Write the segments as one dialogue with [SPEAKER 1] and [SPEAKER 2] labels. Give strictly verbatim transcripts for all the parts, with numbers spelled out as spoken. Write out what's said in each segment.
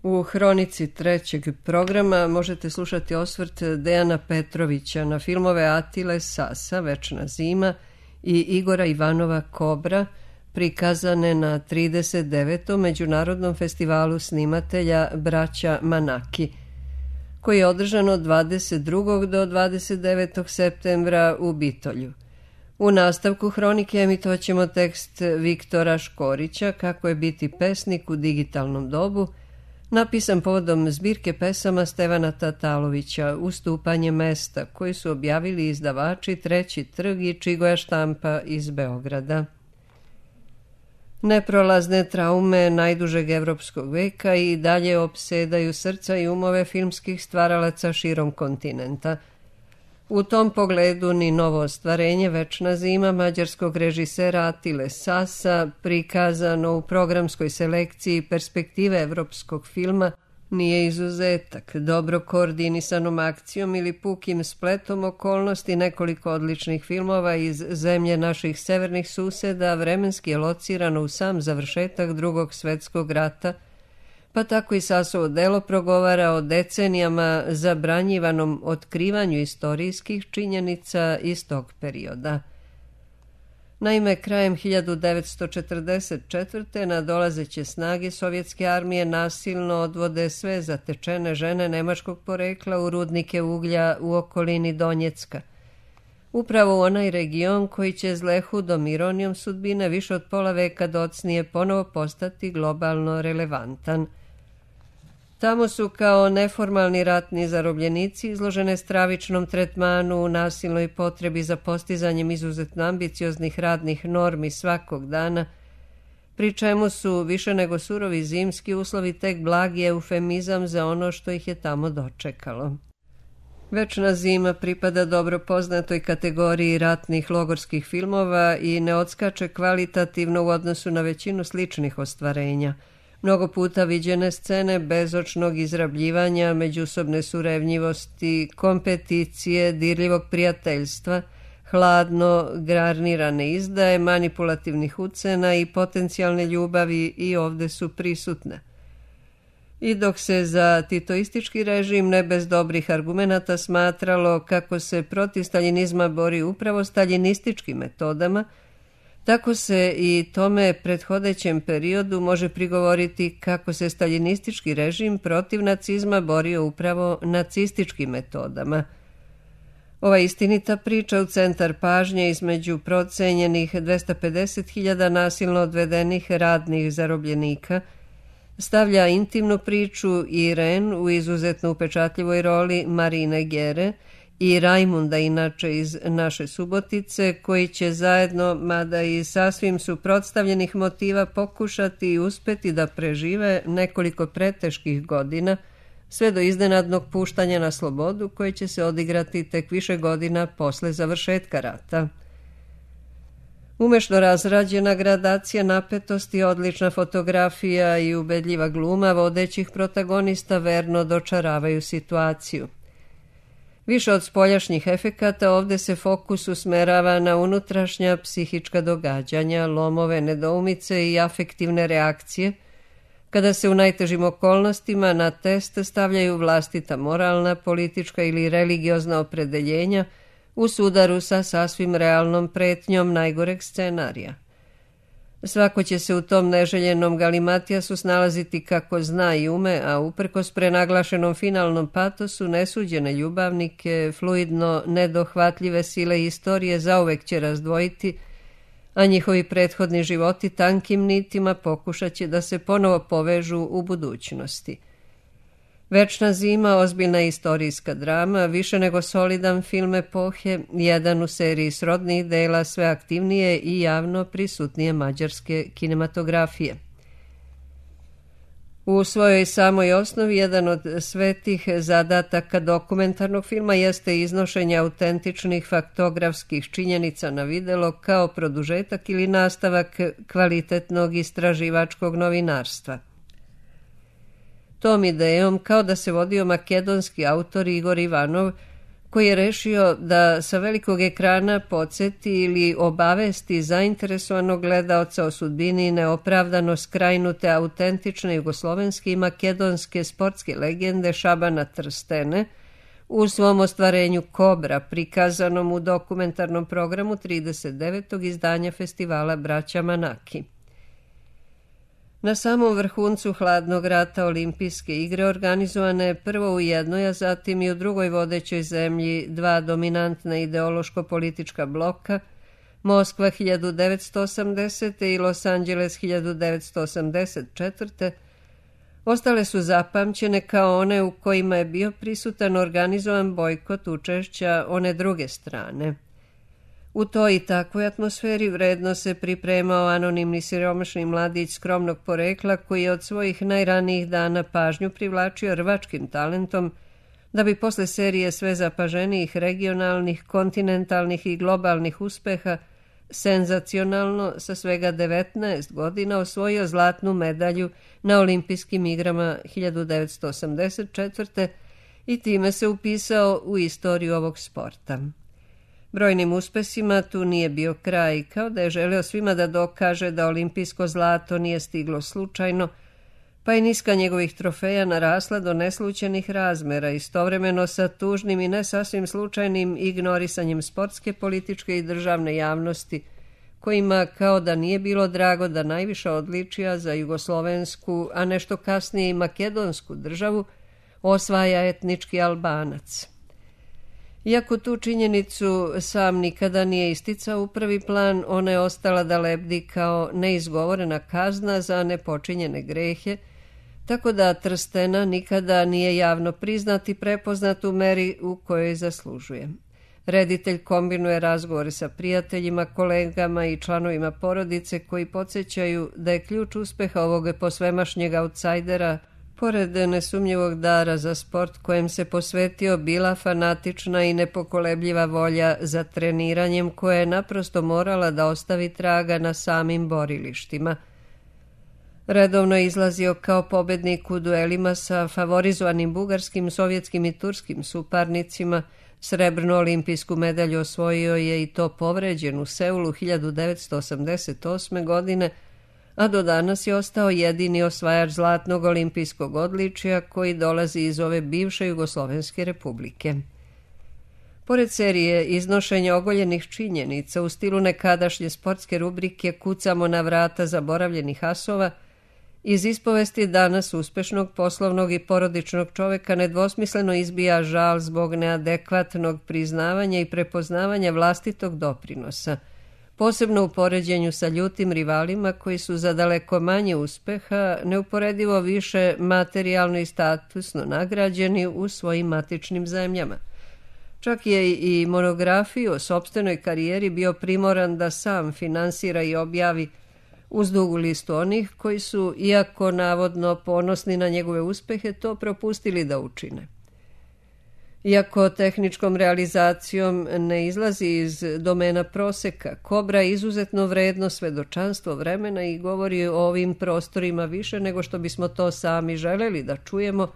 [SPEAKER 1] U hronici trećeg programa možete slušati osvrt Dejana Petrovića na filmove Atile Sasa, Večna zima i Igora Ivanova Kobra, prikazane na trideset devetom Međunarodnom festivalu snimatelja Braća Manaki, koji je održan od dvadeset drugog do dvadeset devetog septembra u Bitolju. U nastavku hronike emitovat ćemo tekst Viktora Škorića Kako je biti pesnik u digitalnom dobu, napisan povodom zbirke pesama Stevana Tatalovića Ustupanje mesta, koji su objavili izdavači Treći trg i Čigoja štampa iz Beograda. Neprolazne traume najdužeg evropskog veka i dalje opsedaju srca i umove filmskih stvaralaca širom kontinenta. U tom pogledu ni novo ostvarenje Večna zima mađarskog režisera Atile Sasa, prikazano u programskoj selekciji Perspektive evropskog filma, nije izuzetak. Dobro koordinisanom akcijom ili pukim spletom okolnosti nekoliko odličnih filmova iz zemlje naših severnih suseda vremenski je locirano u sam završetak Drugog svetskog rata, pa tako i Sasovo delo progovara o decenijama zabranjivanom otkrivanju istorijskih činjenica iz tog perioda. Naime, krajem hiljadu devetsto četrdeset četvrte nadolazeće snage sovjetske armije nasilno odvode sve zatečene žene nemačkog porekla u rudnike uglja u okolini Donjecka. Upravo u onaj region koji će zle hudom ironijom sudbine više od pola veka docnije ponovo postati globalno relevantan. Tamo su kao neformalni ratni zarobljenici izložene stravičnom tretmanu u nasilnoj potrebi za postizanjem izuzetno ambicioznih radnih normi svakog dana, pri čemu su više nego surovi zimski uslovi tek blagi eufemizam za ono što ih je tamo dočekalo. Večna zima pripada dobro poznatoj kategoriji ratnih logorskih filmova i ne odskače kvalitativno u odnosu na većinu sličnih ostvarenja. Mnogo puta viđene scene bezočnog izrabljivanja, međusobne surevnjivosti, kompeticije, dirljivog prijateljstva, hladno garnirane izdaje, manipulativnih ucena i potencijalne ljubavi i ovde su prisutne. I dok se za titoistički režim ne bez dobrih argumenata smatralo kako se protiv staljinizma bori upravo staljinističkim metodama, tako se i tome prethodećem periodu može prigovoriti kako se staljinistički režim protiv nacizma borio upravo nacističkim metodama. Ova istinita priča u centar pažnje između procenjenih dvesta pedeset hiljada nasilno odvedenih radnih zarobljenika stavlja intimnu priču Iren u izuzetno upečatljivoj roli Marine Gere i Rajmunda, inače iz Naše Subotice, koji će zajedno, mada i sasvim suprotstavljenih motiva, pokušati i uspeti da prežive nekoliko preteških godina, sve do iznenadnog puštanja na slobodu koje će se odigrati tek više godina posle završetka rata. Umešno razrađena gradacija napetosti, odlična fotografija i ubedljiva gluma vodećih protagonista verno dočaravaju situaciju. Više od spoljašnjih efekata ovde se fokus usmerava na unutrašnja psihička događanja, lomove, nedoumice i afektivne reakcije, kada se u najtežim okolnostima na test stavljaju vlastita moralna, politička ili religiozna opredeljenja u sudaru sa sasvim realnom pretnjom najgoreg scenarija. Svako će se u tom neželjenom galimatijasu snalaziti kako zna i ume, a uprkos prenaglašenom finalnom patosu nesuđene ljubavnike, fluidno nedohvatljive sile istorije zauvek će razdvojiti, a njihovi prethodni životi tankim nitima pokušat će da se ponovo povežu u budućnosti. Večna zima, ozbiljna istorijska drama, više nego solidan film epohe, jedan u seriji srodnih dela sve aktivnije i javno prisutnije mađarske kinematografije. U svojoj samoj osnovi jedan od svetih zadataka dokumentarnog filma jeste iznošenje autentičnih faktografskih činjenica na videlo kao produžetak ili nastavak kvalitetnog istraživačkog novinarstva. Tom idejom, kao da se vodio makedonski autor Igor Ivanov, koji je rešio da sa velikog ekrana podsjeti ili obavesti zainteresovanog gledaoca o sudbini neopravdano skrajnute autentične jugoslovenske i makedonske sportske legende Šabana Trstene u svom ostvarenju Kobra, prikazanom u dokumentarnom programu trideset devetog izdanja festivala Braća Manaki. Na samom vrhuncu hladnog rata Olimpijske igre organizovane prvo u jednoj, a zatim i u drugoj vodećoj zemlji dva dominantna ideološko-politička bloka, Moskva hiljadu devetsto osamdesete. i Los Angeles hiljadu devetsto osamdeset četvrte. ostale su zapamćene kao one u kojima je bio prisutan organizovan bojkot učešća one druge strane. U toj i takvoj atmosferi vredno se pripremao anonimni siromašni mladić skromnog porekla koji je od svojih najranijih dana pažnju privlačio rvačkim talentom, da bi posle serije sve zapaženijih regionalnih, kontinentalnih i globalnih uspeha senzacionalno sa svega devetnaest godina osvojio zlatnu medalju na Olimpijskim igrama hiljadu devetsto osamdeset četvrte. i time se upisao u istoriju ovog sporta. Brojnim uspesima tu nije bio kraj, kao da je želeo svima da dokaže da olimpijsko zlato nije stiglo slučajno, pa je niska njegovih trofeja narasla do neslućenih razmera, istovremeno sa tužnim i ne sasvim slučajnim ignorisanjem sportske, političke i državne javnosti, kojima kao da nije bilo drago da najviša odličija za jugoslovensku, a nešto kasnije i makedonsku državu, osvaja etnički Albanac. Iako tu činjenicu sam nikada nije isticao u prvi plan, ona je ostala da lebdi kao neizgovorena kazna za nepočinjene grehe, tako da Trstena nikada nije javno priznat i prepoznat u meri u kojoj zaslužuje. Reditelj kombinuje razgovore sa prijateljima, kolegama i članovima porodice koji podsjećaju da je ključ uspeha ovog posvemašnjeg autsajdera, pored nesumnjivog dara za sport kojem se posvetio, bila fanatična i nepokolebljiva volja za treniranjem koja je naprosto morala da ostavi traga na samim borilištima. Redovno je izlazio kao pobednik u duelima sa favorizovanim bugarskim, sovjetskim i turskim suparnicima. Srebrnu olimpijsku medalju osvojio je i to povređen u Seulu hiljadu devetsto osamdeset osme. godine, a do danas je ostao jedini osvajač zlatnog olimpijskog odličja koji dolazi iz ove bivše Jugoslovenske republike. Pored serije iznošenja ogoljenih činjenica u stilu nekadašnje sportske rubrike Kucamo na vrata zaboravljenih asova, iz ispovesti danas uspešnog poslovnog i porodičnog čoveka nedvosmisleno izbija žal zbog neadekvatnog priznavanja i prepoznavanja vlastitog doprinosa, posebno u poređenju sa ljutim rivalima koji su za daleko manje uspeha neuporedivo više materijalno i statusno nagrađeni u svojim matičnim zemljama. Čak je i monografiju o sopstvenoj karijeri bio primoran da sam finansira i objavi uz dugu listu onih koji su, iako navodno ponosni na njegove uspehe, to propustili da učine. Iako tehničkom realizacijom ne izlazi iz domena proseka, Kobra je izuzetno vredno svedočanstvo vremena i govori o ovim prostorima više nego što bismo to sami želeli da čujemo,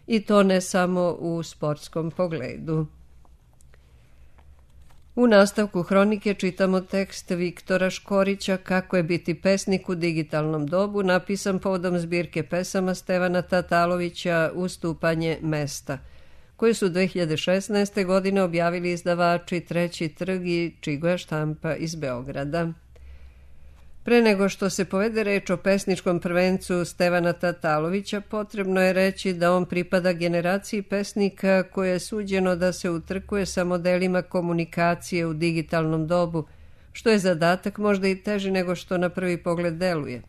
[SPEAKER 1] i to ne samo u sportskom pogledu. U nastavku hronike čitamo tekst Viktora Škorića Kako je biti pesnik u digitalnom dobu, napisan povodom zbirke pesama Stevana Tatalovića Ustupanje mesta, koji su dve hiljade šesnaeste. godine objavili izdavači Treći trg i Čigua štampa iz Beograda. Pre nego što se povede reč o pesničkom prvencu Stevana Tatalovića, potrebno je reći da on pripada generaciji pesnika koje je suđeno da se utrkuje sa modelima komunikacije u digitalnom dobu, što je zadatak možda i teži nego što na prvi pogled deluje.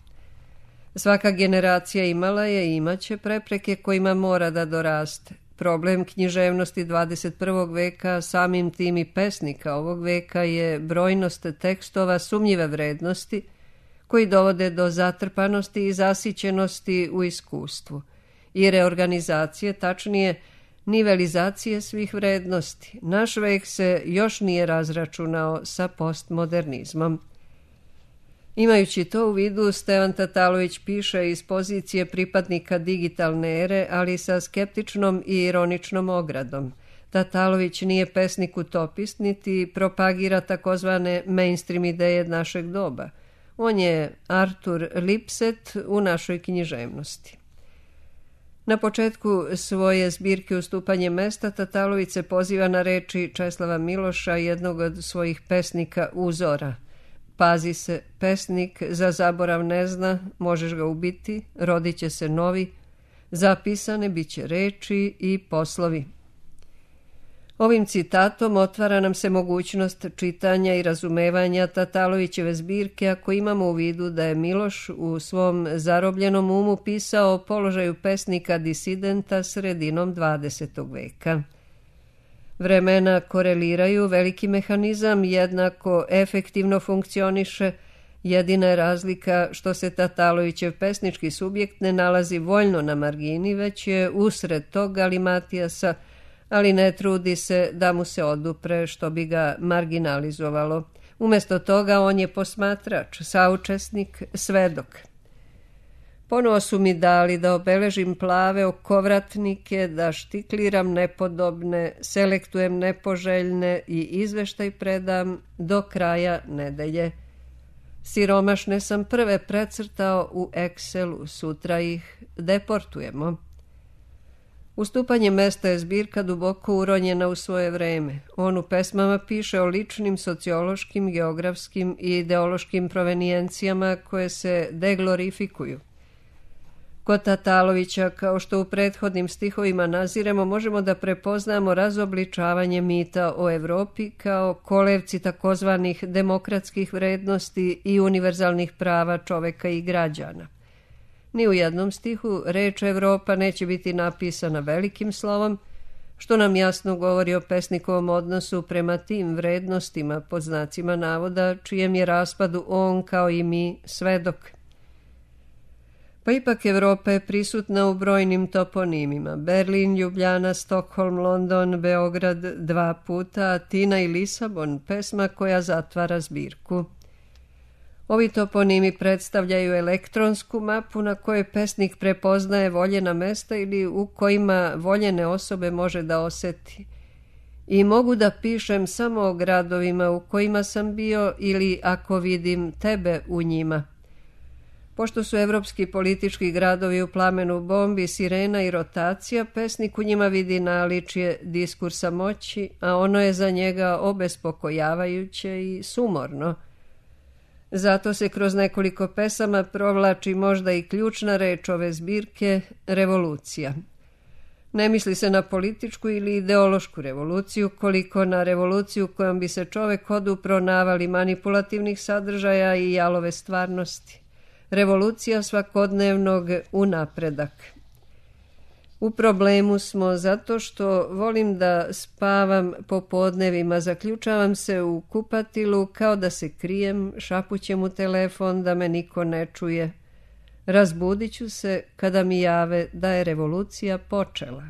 [SPEAKER 1] Svaka generacija imala je i imaće prepreke kojima mora da doraste. Problem književnosti dvadeset prvog veka, samim tim i pesnika ovog veka, je brojnost tekstova sumnjive vrednosti koji dovode do zatrpanosti i zasićenosti u iskustvu i reorganizacije, tačnije nivelizacije svih vrednosti. Naš vek se još nije razračunao sa postmodernizmom. Imajući to u vidu, Stevan Tatalović piše iz pozicije pripadnika digitalne ere, ali sa skeptičnom i ironičnom ogradom. Tatalović nije pesnik utopist, niti propagira takozvane mainstream ideje našeg doba. On je Artur Lipset u našoj književnosti. Na početku svoje zbirke Ustupanje mesta Tatalović se poziva na reči Česlava Miloša, jednog od svojih pesnika Uzora. Pazi se, pesnik za zaborav ne zna, možeš ga ubiti, rodit će se novi, zapisane bit će reči i poslovi. Ovim citatom otvara nam se mogućnost čitanja i razumevanja Tatalovićeve zbirke ako imamo u vidu da je Miloš u svom zarobljenom umu pisao o položaju pesnika disidenta sredinom dvadesetog veka. Vremena koreliraju, veliki mehanizam jednako efektivno funkcioniše, jedina je razlika što se Tatalovićev pesnički subjekt ne nalazi voljno na margini, već je usred tog galimatijasa, ali ne trudi se da mu se odupre što bi ga marginalizovalo. Umjesto toga on je posmatrač, saučesnik, svedok. Ponovo su mi dali da obeležim plave okovratnike, da štikliram nepodobne, selektujem nepoželjne i izveštaj predam do kraja nedelje. Siromašne sam prve precrtao u Excelu, sutra ih deportujemo. Ustupanje mesta je zbirka duboko uronjena u svoje vreme. On u pesmama piše o ličnim, sociološkim, geografskim i ideološkim provenijencijama koje se deglorifikuju. Kod Tatalovića, kao što u prethodnim stihovima naziremo, možemo da prepoznamo razobličavanje mita o Evropi kao kolevci takozvanih demokratskih vrednosti i univerzalnih prava čoveka i građana. Ni u jednom stihu reč Evropa neće biti napisana velikim slovom, što nam jasno govori o pesnikovom odnosu prema tim vrednostima, pod znacima navoda, čijem je raspadu on, kao i mi, svedok. Pa ipak Evropa je prisutna u brojnim toponimima. Berlin, Ljubljana, Stokholm, London, Beograd dva puta, Atina i Lisabon, pesma koja zatvara zbirku. Ovi toponimi predstavljaju elektronsku mapu na kojoj pesnik prepoznaje voljena mesta ili u kojima voljene osobe može da oseti. I mogu da pišem samo o gradovima u kojima sam bio ili ako vidim tebe u njima. Pošto su evropski politički gradovi u plamenu bombi, sirena i rotacija, pesnik u njima vidi naličje diskursa moći, a ono je za njega obespokojavajuće i sumorno. Zato se kroz nekoliko pesama provlači možda i ključna reč ove zbirke – revolucija. Ne misli se na političku ili ideološku revoluciju, koliko na revoluciju kojom bi se čovek odupro navali manipulativnih sadržaja i jalove stvarnosti. Revolucija svakodnevnog unapredak. U problemu smo zato što volim da spavam popodnevima, zaključavam se u kupatilu kao da se krijem, šapućem u telefon da me niko ne čuje. Razbudit ću se kada mi jave da je revolucija počela.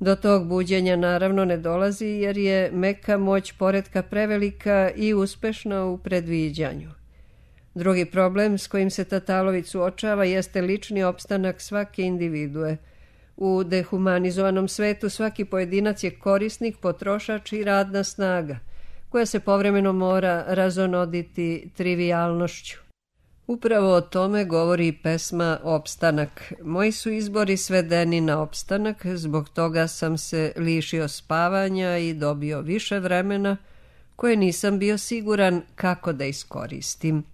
[SPEAKER 1] Do tog buđenja naravno ne dolazi jer je meka moć poretka prevelika i uspešna u predviđanju. Drugi problem s kojim se Tatalović suočava jeste lični opstanak svake individue. U dehumanizovanom svetu svaki pojedinac je korisnik, potrošač i radna snaga, koja se povremeno mora razonoditi trivijalnošću. Upravo o tome govori i pesma Opstanak. Moji su izbori svedeni na opstanak, zbog toga sam se lišio spavanja i dobio više vremena, koje nisam bio siguran kako da iskoristim.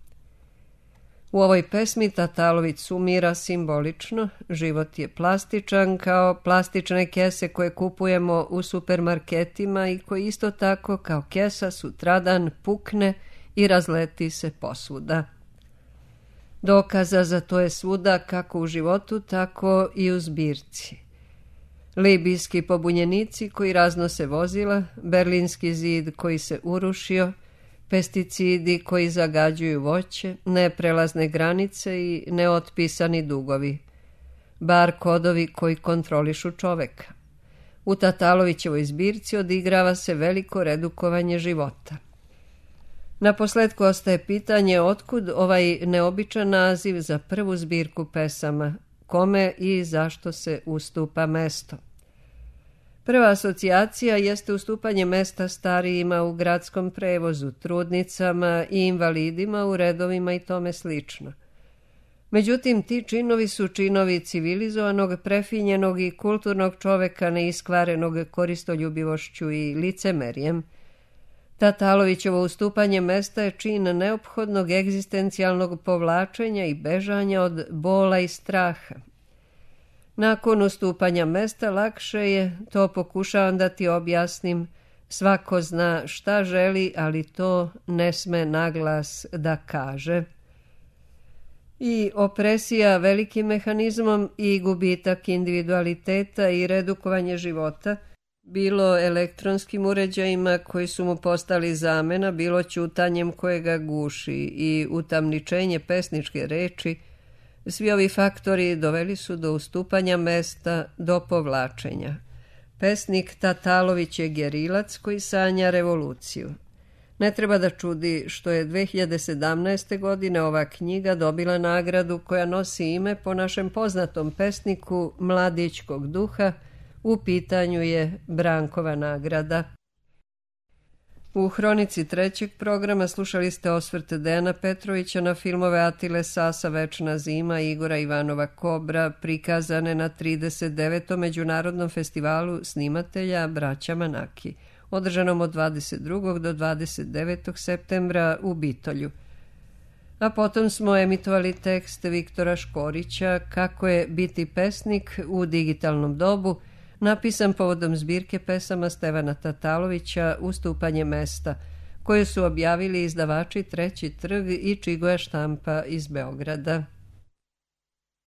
[SPEAKER 1] U ovoj pesmi Tatalović sumira simbolično, život je plastičan kao plastične kese koje kupujemo u supermarketima i koji isto tako kao kesa sutradan pukne i razleti se posvuda. Dokaza za to je svuda kako u životu, tako i u zbirci. Libijski pobunjenici koji raznose vozila, Berlinski zid koji se urušio, pesticidi koji zagađuju voće, neprelazne granice i neotpisani dugovi, bar kodovi koji kontrolišu čoveka. U Tatalovićevoj zbirci odigrava se veliko redukovanje života. Naposletku ostaje pitanje otkud ovaj neobičan naziv za prvu zbirku pesama, kome i zašto se ustupa mesto. Prva asocijacija jeste ustupanje mesta starijima u gradskom prevozu, trudnicama i invalidima u redovima i tome slično. Međutim, ti činovi su činovi civilizovanog, prefinjenog i kulturnog čoveka neiskvarenog koristoljubivošću i licemerjem. Tatalovićevo ustupanje mesta je čin neophodnog egzistencijalnog povlačenja i bežanja od bola i straha. Nakon ustupanja mesta lakše je, to pokušavam da ti objasnim, svako zna šta želi, ali to ne sme naglas da kaže. I opresija velikim mehanizmom i gubitak individualiteta i redukovanje života, bilo elektronskim uređajima koji su mu postali zamena, bilo ćutanjem koje ga guši i utamničenje pesničke reči, svi ovi faktori doveli su do ustupanja mesta, do povlačenja. Pesnik Tatalović je gerilac koji sanja revoluciju. Ne treba da čudi što je dve hiljade sedamnaeste. godine ova knjiga dobila nagradu koja nosi ime po našem poznatom pesniku Mladićkog duha, u pitanju je Brankova nagrada. U hronici trećeg programa slušali ste osvrt Dejana Petrovića na filmove Atile Sasa Večna zima i Igora Ivanova Kobra, prikazane na trideset devetom Međunarodnom festivalu snimatelja Braća Manaki, održanom od dvadeset drugog do dvadeset devetog septembra u Bitolju. A potom smo emitovali tekst Viktora Škorića Kako je biti pesnik u digitalnom dobu, napisan povodom zbirke pesama Stevana Tatalovića Ustupanje mesta, koje su objavili izdavači Treći trg i Čigoja štampa iz Beograda.